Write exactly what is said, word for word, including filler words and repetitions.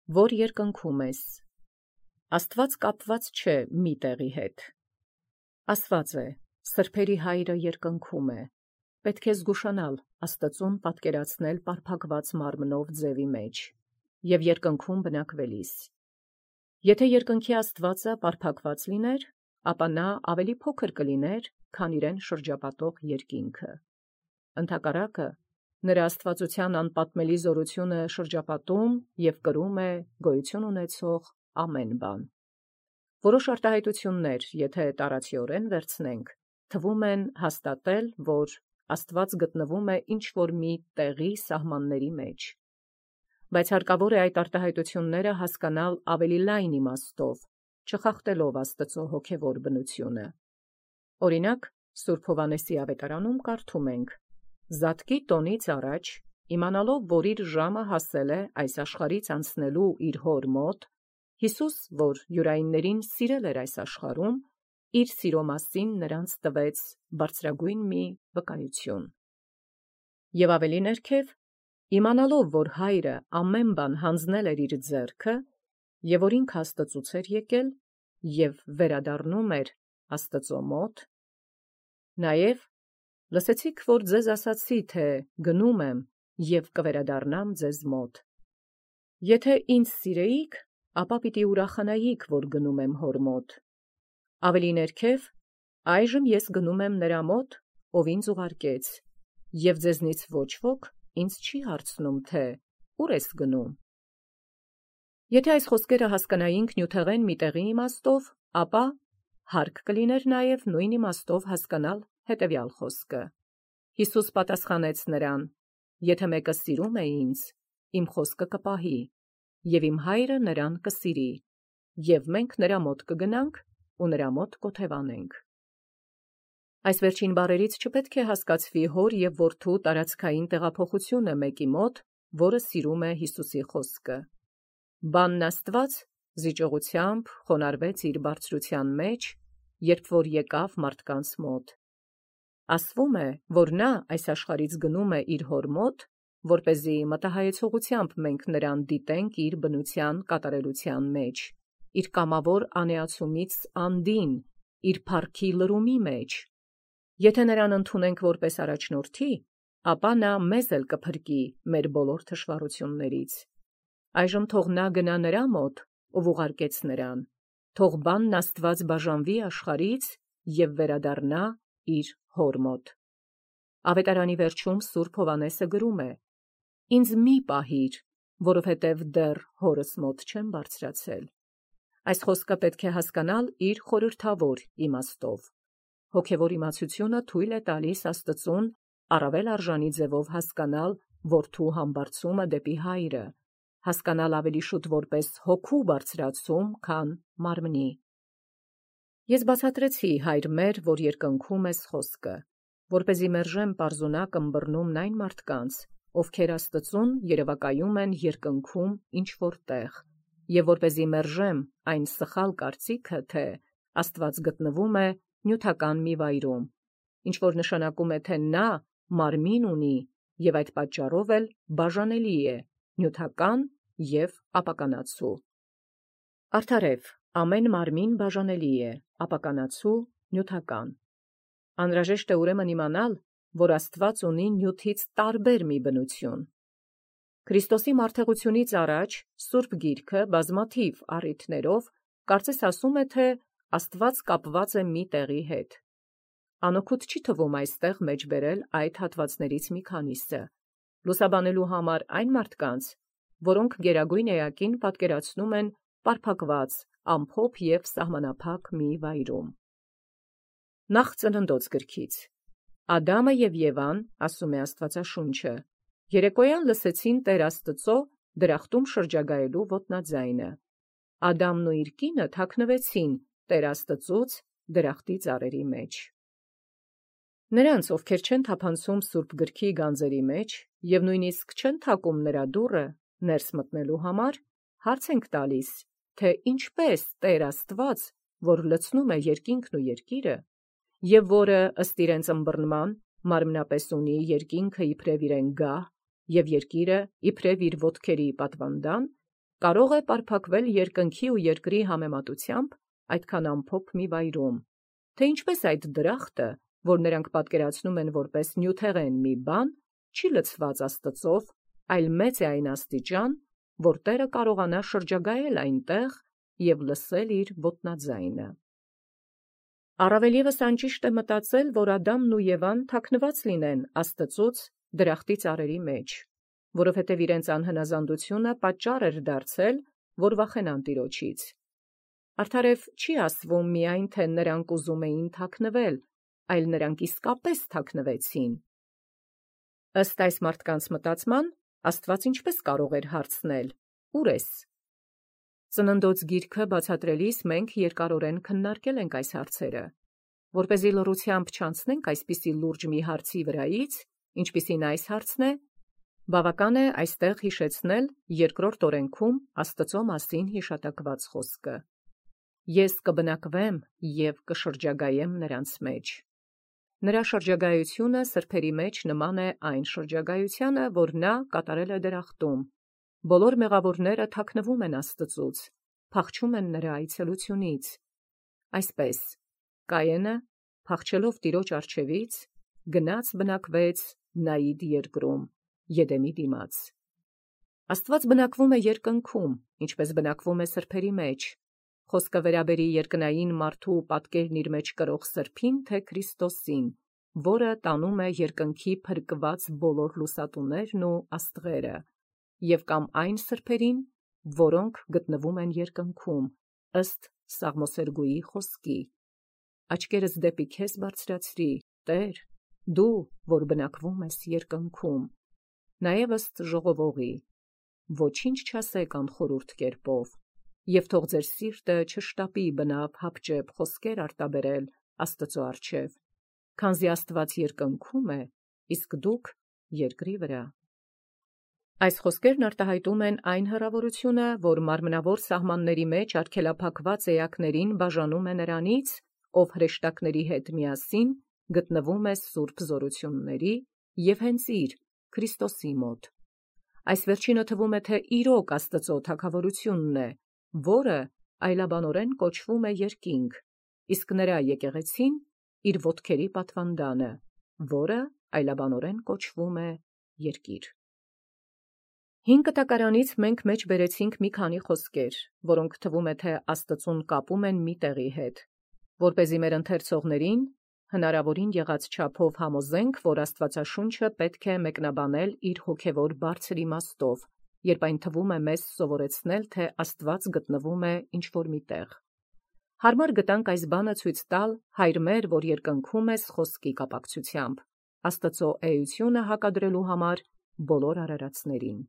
որ երկնքում ես։ Աստված կապված չէ մի տեղի հետ։ Ասված է. սրբերի հայրը երկնքում է։ Պետք է զգուշանալ Աստծուն պատկերացնել պարփակված մարմնով ձևի մեջ և երկնքում բնակվելիս։ Եթե երկնքի Աստվածը պարփակված լիներ, ապա նա ավելի փոքր կլիներ, քան իրեն շրջապատող երկինքը։ Ընդհակառակը, նրա աստվածության անպատմելի զորությունը շրջապատում և կրում է գոյություն ունեցող ամեն բան։ Որոշ արտահայտություններ, եթե տարածիորեն վերցնենք, թվում են հաստատել, որ Աստված գտնվում է ինչ-որ մի տեղի սահմանների մեջ։ Բայց հարկավոր է այդ արտահայտությունները հասկանալ ավելի լայն իմաստով, չխախտելով Աստծո հոգևոր բնությունը։ Օրինակ, Սուրբ Հովհաննեսի ավետարանում կարդում ենք. «Զատկի տոնից առաջ, իմանալով, որ իր ժամը հասել է այս աշխարհից անցնելու իր հոր մոտ, Հիսուս, որ յուրայիններին սիրել էր այս աշխարհում, իր սիրո մասին նրանց տվեց բարձրագույն մի վկայություն»։ Եվ ավելի ներքև, իմանալով, որ Հայրը ամեն բան հանձնել էր իր ձեռքը, և որ ինքը Աստծուց էր եկել, և վերադառնում էր Աստծո մոտ, նաև լսեցիք, որ ձեզ ասացի, թե գնում եմ և կվերադառնամ ձեզ մոտ։ Եթե ինձ սիրեիք, ապա պիտի ուրախանայիք, որ գնում եմ հոր մոտ։ Ավելի ներքև, այժմ ես գնում եմ նրա մոտ, ով ինձ ուղարկեց, և ձեզնից ոչ ոք ինձ չի հարցնում, թե «Ո՞ւր ես գնում»։ Եթե այս խոսքերը հասկանայինք նյութեղեն մի տեղի իմաստով, ապա հարկ կլիներ նաև նույն իմաստով հասկանալ հետևյալ խոսքը. Հիսուս պատասխանեց նրան. «Եթե մեկը սիրում է ինձ, իմ խոսքը կպահի, և իմ Հայրը նրան կսիրի, և մենք նրա մոտ կգնանք ու նրա մոտ կօթևանենք»։ Այս վերջին բառերից չպետք է հասկացվի հոր և որդու տարածքային տեղափոխությունը մեկի մոտ, որը սիրում է Հիսուսի խոսքը։ Բանն Աստված զիջողությամբ խոնարհվեց իր բարձրության մեջ, երբ որ եկավ մարդկանց մոտ։ Ասվում է, որ նա այս աշխարհից գնում է իր հոր մոտ, որպեսզի մտահայեցողությամբ մենք նրան դիտենք իր բնության կատարելության մեջ, իր կամավոր անեացումից անդին, իր փառքի լրումի մեջ։ Եթե նրան ընդունենք որպես առաջնորդի, ապա նա մեզ էլ կփրկի մեր բոլոր թշվառություններից։ Այժմ թող նա գնա նրա մոտ, ով ուղարկեց նրան, թող բանն Աստված բաժանվի աշխարհից և վերադառնա իր հոր մոտ։ Ավետարանի վերջում Սուրբ Հովհաննեսը գրում է. «Ինձ մի պահիր, որովհետև դեռ հորս մոտ չեմ բարձրացել»։ Այս խոսքը պետք է հասկանալ իր խորհրդավոր իմաստով։ Հոգևոր իմացությունը թույլ է տալիս Աստծուն առավել արժանի ձևով հասկանալ որդու համբարձումը դեպի Հայրը, հասկանալ ավելի շուտ որպես հոգու բարձրացում, քան մարմնի։ Ես բացատրեցի «Հայր մեր, որ երկնքում ես» խոսքը, որպեսզի մերժեմ պարզունակ ըմբռնումն այն մարդկանց, ովքեր Աստծուն երևակայում են երկնքում ինչ-որ տեղ, և որպեսզի մերժեմ այն սխալ կարծիքը, թե Աստված գտնվում է նյութական մի վայրում, ինչ-որ նշանակում է, թե նա մարմին ունի և այդ պատճառով էլ բաժանելի է նյութական և ապականացու։ Արդարև, ամեն մարմին բաժանելի է, ապականացու՝ նյութական։ Անհրաժեշտ է ուրեմն իմանալ, որ Աստված ունի նյութից տարբեր մի բնություն։ Քրիստոսի մարդեղությունից առաջ Սուրբ Գիրքը բազմաթիվ առիթներով կարծես ասում է, թե Աստված կապված է մի տեղի հետ։ Անօգուտ չի թվում այստեղ մեջբերել այդ հատվածներից մի քանիսը, լուսաբանելու համար այն մարդկանց, որոնք գերագույն էակին պատկերացնում են պարփակված, ամփոփ և սահմանափակ մի վայրում։ Նախ Ծննդոց գրքից. Ադամը և Եվան, ասում է Աստվածաշունչը, երեկոյան լսեցին Տեր Աստծո դրախտում շրջագայելու ոտնաձայնը։ Ադամն ու իր կինը թաքնվեցին Տեր Աստծուց դրախտի ծառերի մեջ։ Նրանց, ովքեր չեն թափանցում Սուրբ Գրքի գանձերի մեջ և նույնիսկ չեն թակում նրա դուռը ներս մտնելու համար, հարց ենք տալիս, թե ինչպես Տեր Աստված, որ լցնում է երկինքն ու երկիրը, և որը ըստ իրենց ըմբռնման մարմնապես ունի երկինքը իբրև իրեն գահ և երկիրը իբրև իր ոտքերի պատվանդան, կարող է պարփակվել երկնքի ու երկրի համեմատությամբ այդքան ամփոփ մի վայրում, թե ինչպես այդ դրախտը, որ նրանք պատկերացնում են որպես նյութեղեն մի բան, չի լցված Աստծով, այլ մեծ է այն աստիճան, որ Տերը կարողանա շրջագայել այնտեղ և լսել իր ոտնաձայնը։ Առավել ևս անճիշտ է մտածել, որ Ադամն ու Եվան թաքնված լինեն Աստծուց դրախտի ծառերի մեջ, որովհետև իրենց անհնազանդությունը պատճառ էր դարձել, որ վախենան Տիրոջից։ Արդարև չի ասվում միայն, թե նրանք ուզում էին թաքնվել, այլ նրանք իսկապես թաքնվեցին։ Ըստ այս մարդկանց մտածման, Աստված ինչպես կարող էր հարցնել. «Ո՞ւր ես»։ Ծննդոց գիրքը բացատրելիս մենք երկարորեն քննարկել ենք այս հարցերը, որպեսզի լռությամբ չանցնենք այսպիսի լուրջ մի հարցի վրայից, ինչպիսին այս հարցն է, բավական է այստեղ հիշեցնել երկրորդ օրենքում Աստծո մասին հիշատակված խոսքը. «Ես կբնակվեմ և կշրջագայեմ նրանց մեջ»։ Նրա շրջագայությունը սրբերի մեջ նման է այն շրջագայությանը, որ նա կատարել է դրախտում։ Բոլոր մեղավորները թաքնվում են Աստծուց, փախչում են նրա այցելությունից։ Այսպես, Կայենը, փախչելով Տիրոջ առջևից, գնաց բնակվեց Նայիդ երկրում, Եդեմի դիմաց։ Աստված բնակվում է երկնքում, ինչպես բնակվում է սրբերի մեջ։ Խոսքը վերաբերի երկնային մարդու պատկերն իր մեջ կրող սրբին, թե Քրիստոսին, որը տանում է երկնքի փրկված բոլոր լուսատուներն ու աստղերը, և կամ այն սրբերին, որոնք գտնվում են երկնքում, ըստ Սաղմոսերգուի խոսքի. «Աչքերս դեպի քեզ բարձրացրի, Տեր, դու, որ բնակվում ես երկնքում», նաև ըստ ժողովողի. «Ոչինչ չասեք անխորուրդ կերպով, և թող ձեր սիրտը չշտապի բնավ հապճեպ խոսքեր արտաբերել Աստծո առջև, քանզի Աստված երկնքում է, իսկ դուք երկրի վրա»։ Այս խոսքերն արտահայտում են այն հռավորությունը, որ մարմնավոր սահմանների մեջ արգելափակված էակներին բաժանում է նրանից, ով հրեշտակների հետ միասին գտնվում է սուրբ զորությունների և հենց իր, Քրիստոսի մոտ։ Այս վերջինը թվում է, թե իրոք Աստծո թագավորությունն է, որը այլաբանորեն կոչվում է երկինք, իսկ նրա եկեղեցին իր ոտքերի պատվանդանը, որը այլաբանորեն կոչվում է երկիր։ Հին կտակարանից մենք մեջ բերեցինք մի քանի խոսքեր, որոնք թվում է, թե Աստծուն կապում են մի տեղի հետ, որպեսզի մեր ընթերցողներին հնարավորին եղած չափով համոզենք, որ Աստվածաշունչը պետք է մեկնաբանել իր հոգևոր բարձր իմաստով, երբ այն թվում է մեզ սովորեցնել, թե Աստված գտնվում է ինչ-որ մի տեղ։ Հարմար գտանք այս բանը ցույց տալ Հայր մեր, որ երկնքում ես խոսքի կապակցությամբ, Աստծո էությունը հակադրելու համար բոլոր արարածներին։